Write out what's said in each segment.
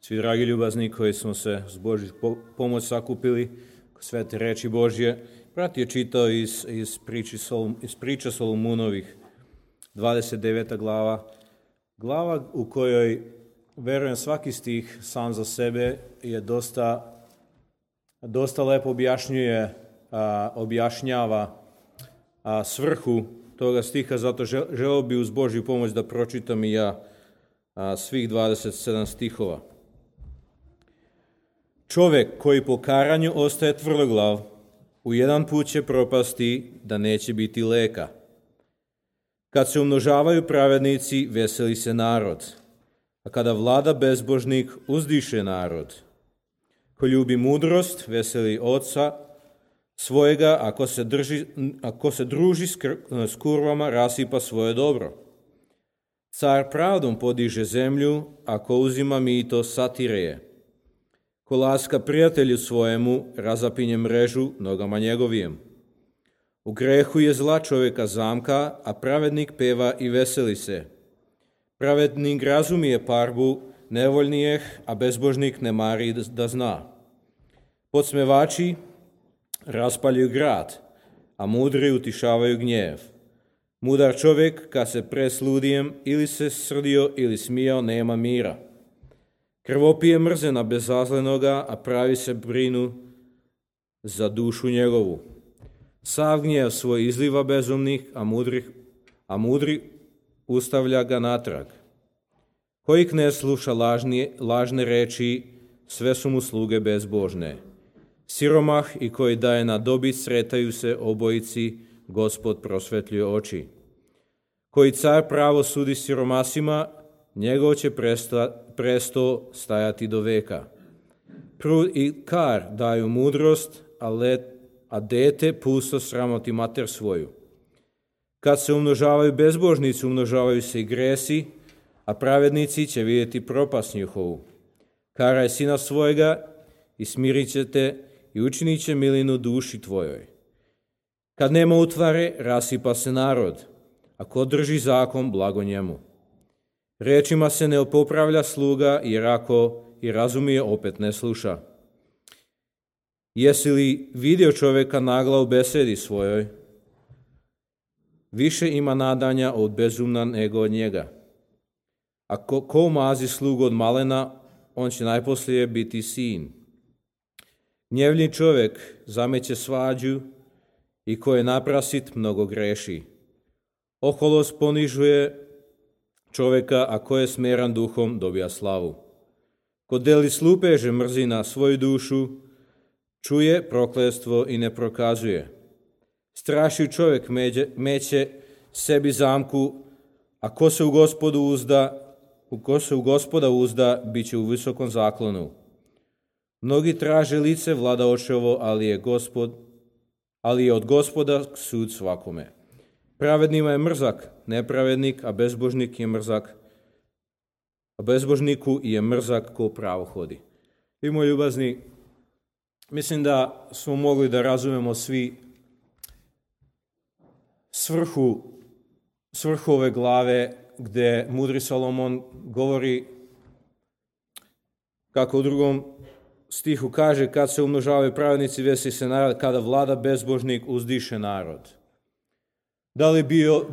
Svi dragi ljubazni koji smo se s Božju pomoć sakupili, svete reči Božje, brat je čitao iz priča Solomunovih, 29. glava u kojoj, verujem, svaki stih sam za sebe je dosta lepo objašnjava svrhu toga stiha, zato želeo bi uz Božju pomoć da pročitam i ja svih 27 stihova. Čovek koji po karanju ostaje tvrdoglav, u jedan put će propasti da neće biti leka. Kad se umnožavaju pravednici, veseli se narod, a kada vlada bezbožnik, uzdiše narod. Ko ljubi mudrost, veseli oca svojega, ako se druži s kurvama, rasipa svoje dobro. Car pravdom podiže zemlju, ako uzima mito, satire je. Ko laska prijatelju svojemu, razapinje mrežu nogama njegovijem. U grehu je zla čovjeka zamka, a pravednik peva i veseli se. Pravednik razumije parbu nevoljnijeh, a bezbožnik ne mari da zna. Podsmevači raspaljuju grad, a mudri utišavaju gnjev. Mudar čovjek, kad se presludijem, ili se srdio ili smijao, nema mira. Krvopije mrze na bezazlenoga, a pravi se brinu za dušu njegovu. Sav gnjev svoj izliva bezumnih, a mudri ustavlja ga natrag. Koji ne sluša lažne reči, sve su mu sluge bezbožne. Siromah i koji daje na dobit, sretaju se obojici, Gospod prosvetljuje oči. Koji car pravo sudi siromasima, njegov će presto stajati do veka. Prud i kar daju mudrost, a dete pusto sramoti mater svoju. Kad se umnožavaju bezbožnici, umnožavaju se i gresi, a pravednici će vidjeti propast njihovu. Karaj sina svojega i smirit će te i učinit će milinu duši tvojoj. Kad nema utvare, rasipa se narod, a ko drži zakon, blago njemu. Rečima se ne popravlja sluga, jer ako i razumije, opet ne sluša. Jesi li vidio čovjeka nagla u besedi svojoj? Više ima nadanja od bezumna nego od njega. Ako ko mazi slugu od malena, on će najposlije biti sin. Gnjevlji čovjek zameće svađu i ko je naprasit mnogo greši. Oholost ponižuje čovjeka, a ko je smeran duhom, dobija slavu. Ko deli slupeže mrzi na svoju dušu, čuje prokletstvo i ne prokazuje. Strašiv čovjek meće sebi zamku, a ko se u Gospoda uzda, bit će u visokom zaklonu. Mnogi traže lice vladaočevo, ali je od Gospoda sud svakome. Pravednima je mrzak nepravednik, a bezbožnik je mrzak, a bezbožniku je mrzak ko pravo hodi. I moji ljubazni, mislim da smo mogli da razumemo svi svrhu ove glave, gdje mudri Solomon govori, kako u drugom stihu kaže, kad se umnožavaju pravednici, veseli se narod, kada vlada bezbožnik, uzdiše narod.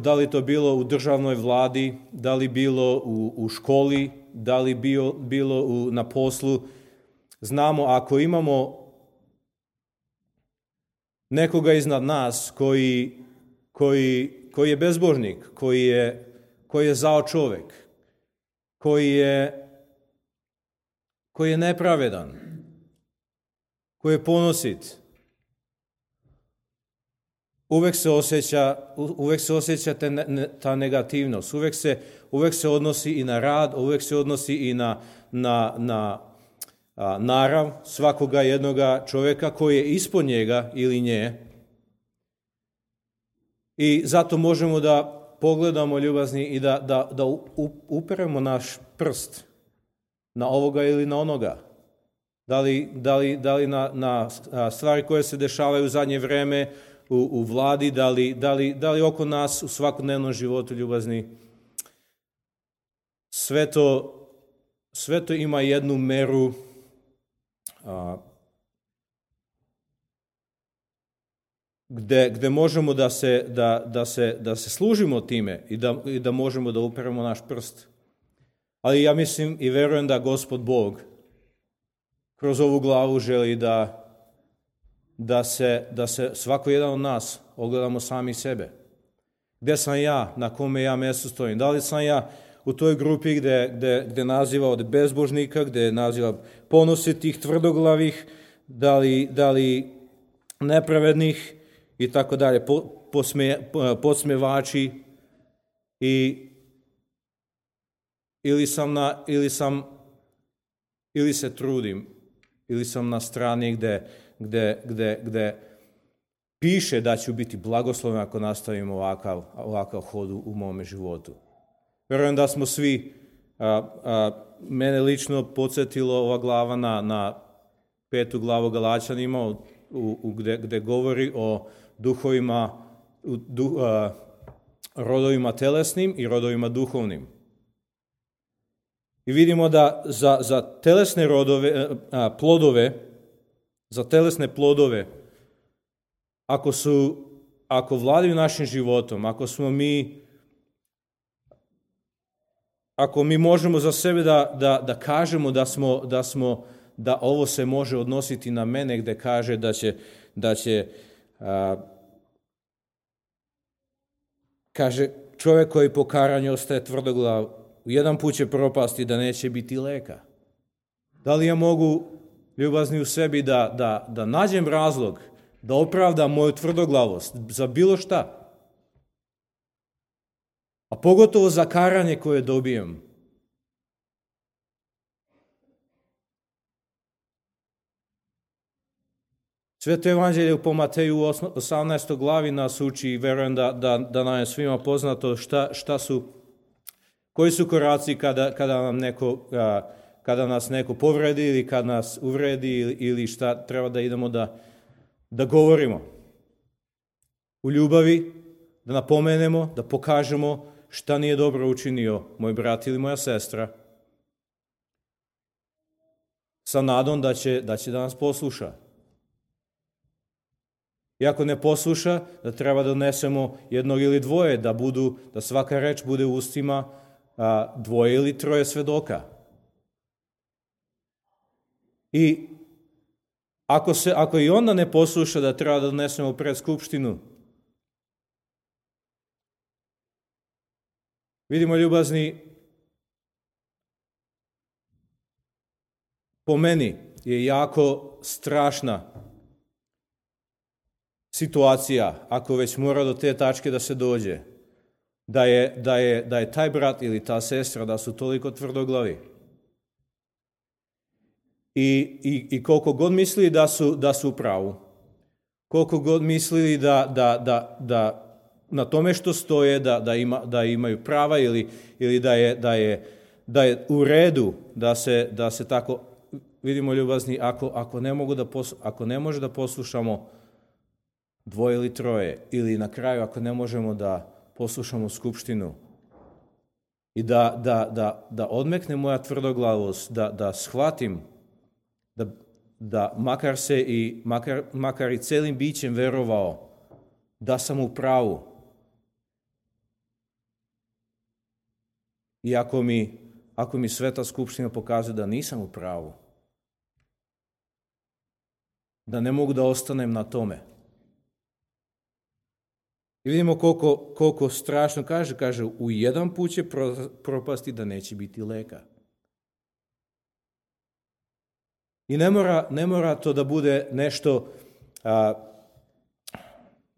Da li to bilo u državnoj vladi, da li bilo u školi, da li bilo na poslu, znamo ako imamo nekoga iznad nas koji je bezbožnik, koji je zao čovjek, koji je nepravedan, koji je ponosit, uvek se osjeća ta negativnost, uvek se odnosi i na rad, uvek se odnosi i na narav svakoga jednoga čovjeka koji je ispod njega ili nje. I zato možemo da pogledamo, ljubazni, i da uperemo naš prst na ovoga ili na onoga. Da li na stvari koje se dešavaju u zadnje vreme u vladi, da li oko nas u svakodnevnom životu, ljubazni. Sve sve to ima jednu meru gde možemo da se služimo time i da možemo da uperemo naš prst. Ali ja mislim i verujem da Gospod Bog kroz ovu glavu želi da se svako jedan od nas ogledamo sami sebe. Gde sam ja, na kome ja mjestu stojim? Da li sam ja u toj grupi gde naziva od bezbožnika, gde naziva ponositih, tvrdoglavih, da li nepravednih i tako dalje, podsmevači ili se trudim, ili sam na strani gde piše da ću biti blagosloven ako nastavim ovakav hod u mome životu. Vjerujem da smo svi, mene lično podsjetilo ova glava na 5. glavu Galačanima, gde govori o duhovima, rodovima telesnim i rodovima duhovnim. I vidimo da za telesne plodove, ako vladaju našim životom, ako mi možemo za sebe da kažemo da ovo se može odnositi na mene, gde kaže da će kaže, čovjek koji po karanju ostaje tvrdoglav, jedan put će propasti da neće biti leka. Da li ja mogu, ljubazni u sebi, da nađem razlog, da opravdam moju tvrdoglavost za bilo šta? A pogotovo za karanje koje dobijem. Sveto evanđelje po Mateju 18. glavi nas uči i verujem da nam je svima poznato koji su koraci kada nas neko povredi ili kada nas uvredi ili šta treba da idemo da govorimo. U ljubavi, da napomenemo, da pokažemo šta nije dobro učinio moj brat ili moja sestra, sa nadom da će da nas posluša. I ako ne posluša, da treba da donesemo jednog ili dvoje, da svaka reč bude u ustima dvoje ili troje svedoka. I ako i onda ne posluša, da treba da donesemo pred skupštinu. Vidimo, ljubazni, po meni je jako strašna situacija, ako već mora do te tačke da se dođe, da je taj brat ili ta sestra, da su toliko tvrdoglavi. I koliko god mislili da su u pravu, koliko god mislili da na tome što stoje, da imaju prava ili da je u redu da se tako, vidimo, ljubazni, ako ne može da poslušamo dvoje ili troje, ili na kraju ako ne možemo da poslušamo skupštinu i da odmekne moja tvrdoglavost, da shvatim da makar i celim bićem verovao da sam u pravu. I ako mi Sveta skupština pokazuje da nisam u pravu, da ne mogu da ostanem na tome. I vidimo koliko strašno kaže, u jedan put će propasti da neće biti leka. I ne mora to da bude nešto,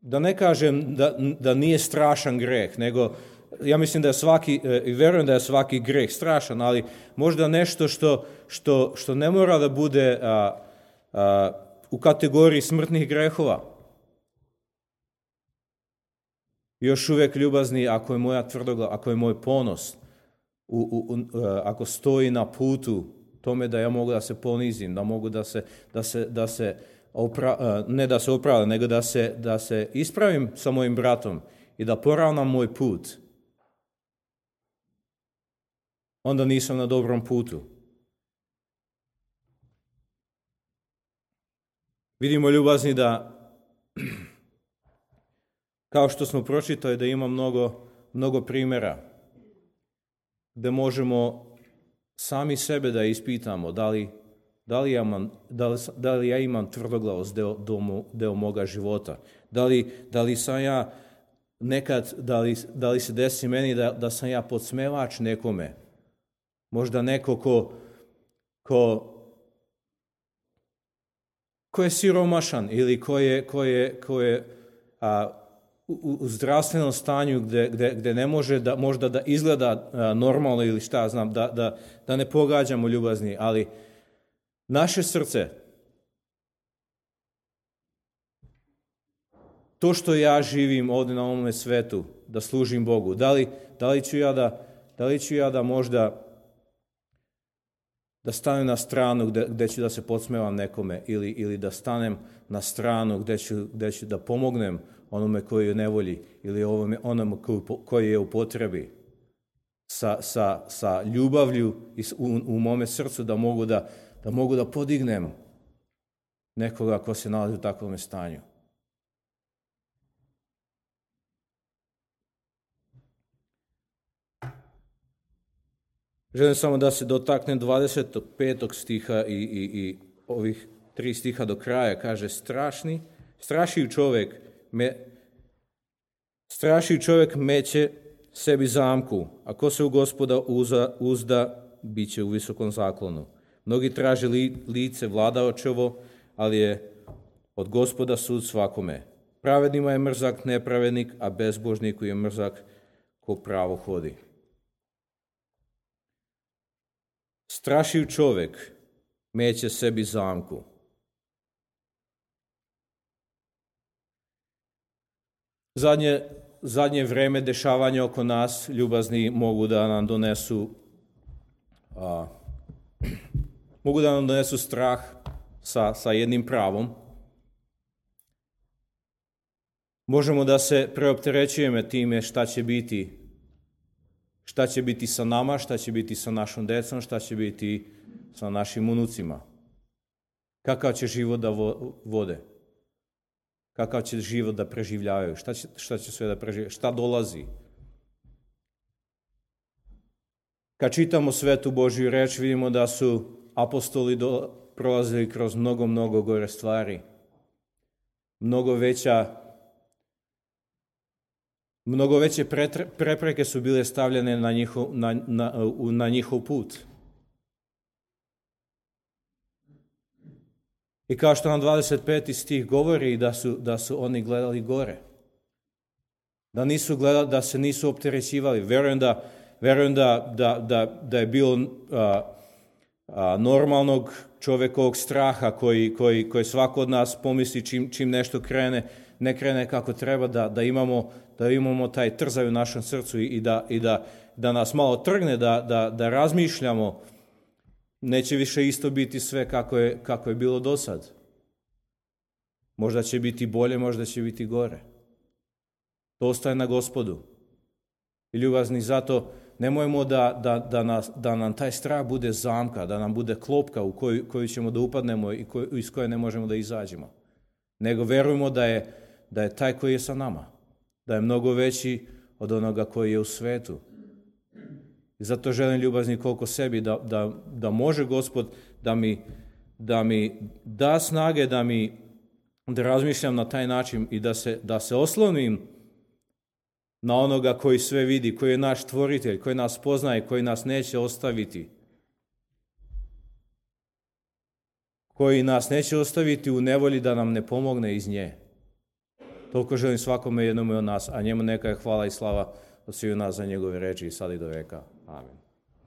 da ne kažem da nije strašan greh, nego ja mislim da je i verujem da je svaki greh strašan, ali možda nešto što ne mora da bude u kategoriji smrtnih grehova. Još uvijek, ljubazni, ako je moja tvrdoglav, ako je moj ponos, ako stoji na putu tome da ja mogu da se ponizim, da mogu ne da se opravdam, nego da se ispravim sa mojim bratom i da poravnam moj put, onda nisam na dobrom putu. Vidimo, ljubazni, da kao što smo pročitali, da ima mnogo primjera gde možemo sami sebe da ispitamo da li ja imam tvrdoglavost deo moga života, da li sam ja nekad, da li se desi meni da sam ja podsmevač nekome, možda neko ko je siromašan ili ko je u zdravstvenom stanju gde ne može možda da izgleda normalno ili šta znam, da ne pogađamo, ljubazni, ali naše srce, to što ja živim ovdje na ovome svetu, da služim Bogu, da li ću ja da možda da stanem na stranu gde ću da se podsmevam nekome ili da stanem na stranu gde ću da pomognem onome koji je u nevolji ili onome koji je u potrebi sa ljubavlju u mome srcu da mogu da podignem nekoga ko se nalazi u takvom stanju. Želim samo da se dotaknem 25. stiha i ovih 3 stiha do kraja. Kaže, strašio čovjek meće sebi zamku, a ko se u Gospoda uzda, bit će u visokom zaklonu. Mnogi traže lice vladaočevo, ali je od Gospoda sud svakome. Pravednima je mrzak nepravednik, a bezbožniku je mrzak ko pravo hodi. Strašiv čovjek meće sebi zamku. Zadnje vreme dešavanja oko nas, ljubazni, mogu da nam donesu strah sa jednim pravom. Možemo da se preopterećujemo time šta će biti sa nama, šta će biti sa našom decom, šta će biti sa našim unucima. Kakav će život da vode. Kakav će život da preživljavaju. Šta će sve da preživljaju. Šta dolazi. Kad čitamo Svetu Božju reč, vidimo da su apostoli prolazili kroz mnogo gore stvari. Mnogo veće prepreke su bile stavljene na njihov put. I kao što nam 25. stih govori da su oni gledali gore. Da se nisu opterećivali. Verujem da je bilo normalnog čovjekovog straha koji svako od nas pomisli čim nešto ne krene kako treba, da imamo taj trzaj u našem srcu i da nas malo trgne, da razmišljamo. Neće više isto biti sve kako je bilo do sad. Možda će biti bolje, možda će biti gore. To ostaje na Gospodu. I ljubazni, zato nemojmo da nam taj strah bude zamka, da nam bude klopka u koju ćemo da upadnemo i iz koje ne možemo da izađemo. Nego verujemo da je taj koji je sa nama, da je mnogo veći od onoga koji je u svetu. I zato želim, ljubazni, koliko sebi da može Gospod da mi da snage, da razmišljam na taj način i da se oslonim na onoga koji sve vidi, koji je naš stvoritelj, koji nas poznaje, koji nas neće ostaviti. Koji nas neće ostaviti u nevolji da nam ne pomogne iz nje. Toliko želim svakome jednome od nas, a njemu neka je hvala i slava od svih nas za njegove reči i sad i do veka. Amen.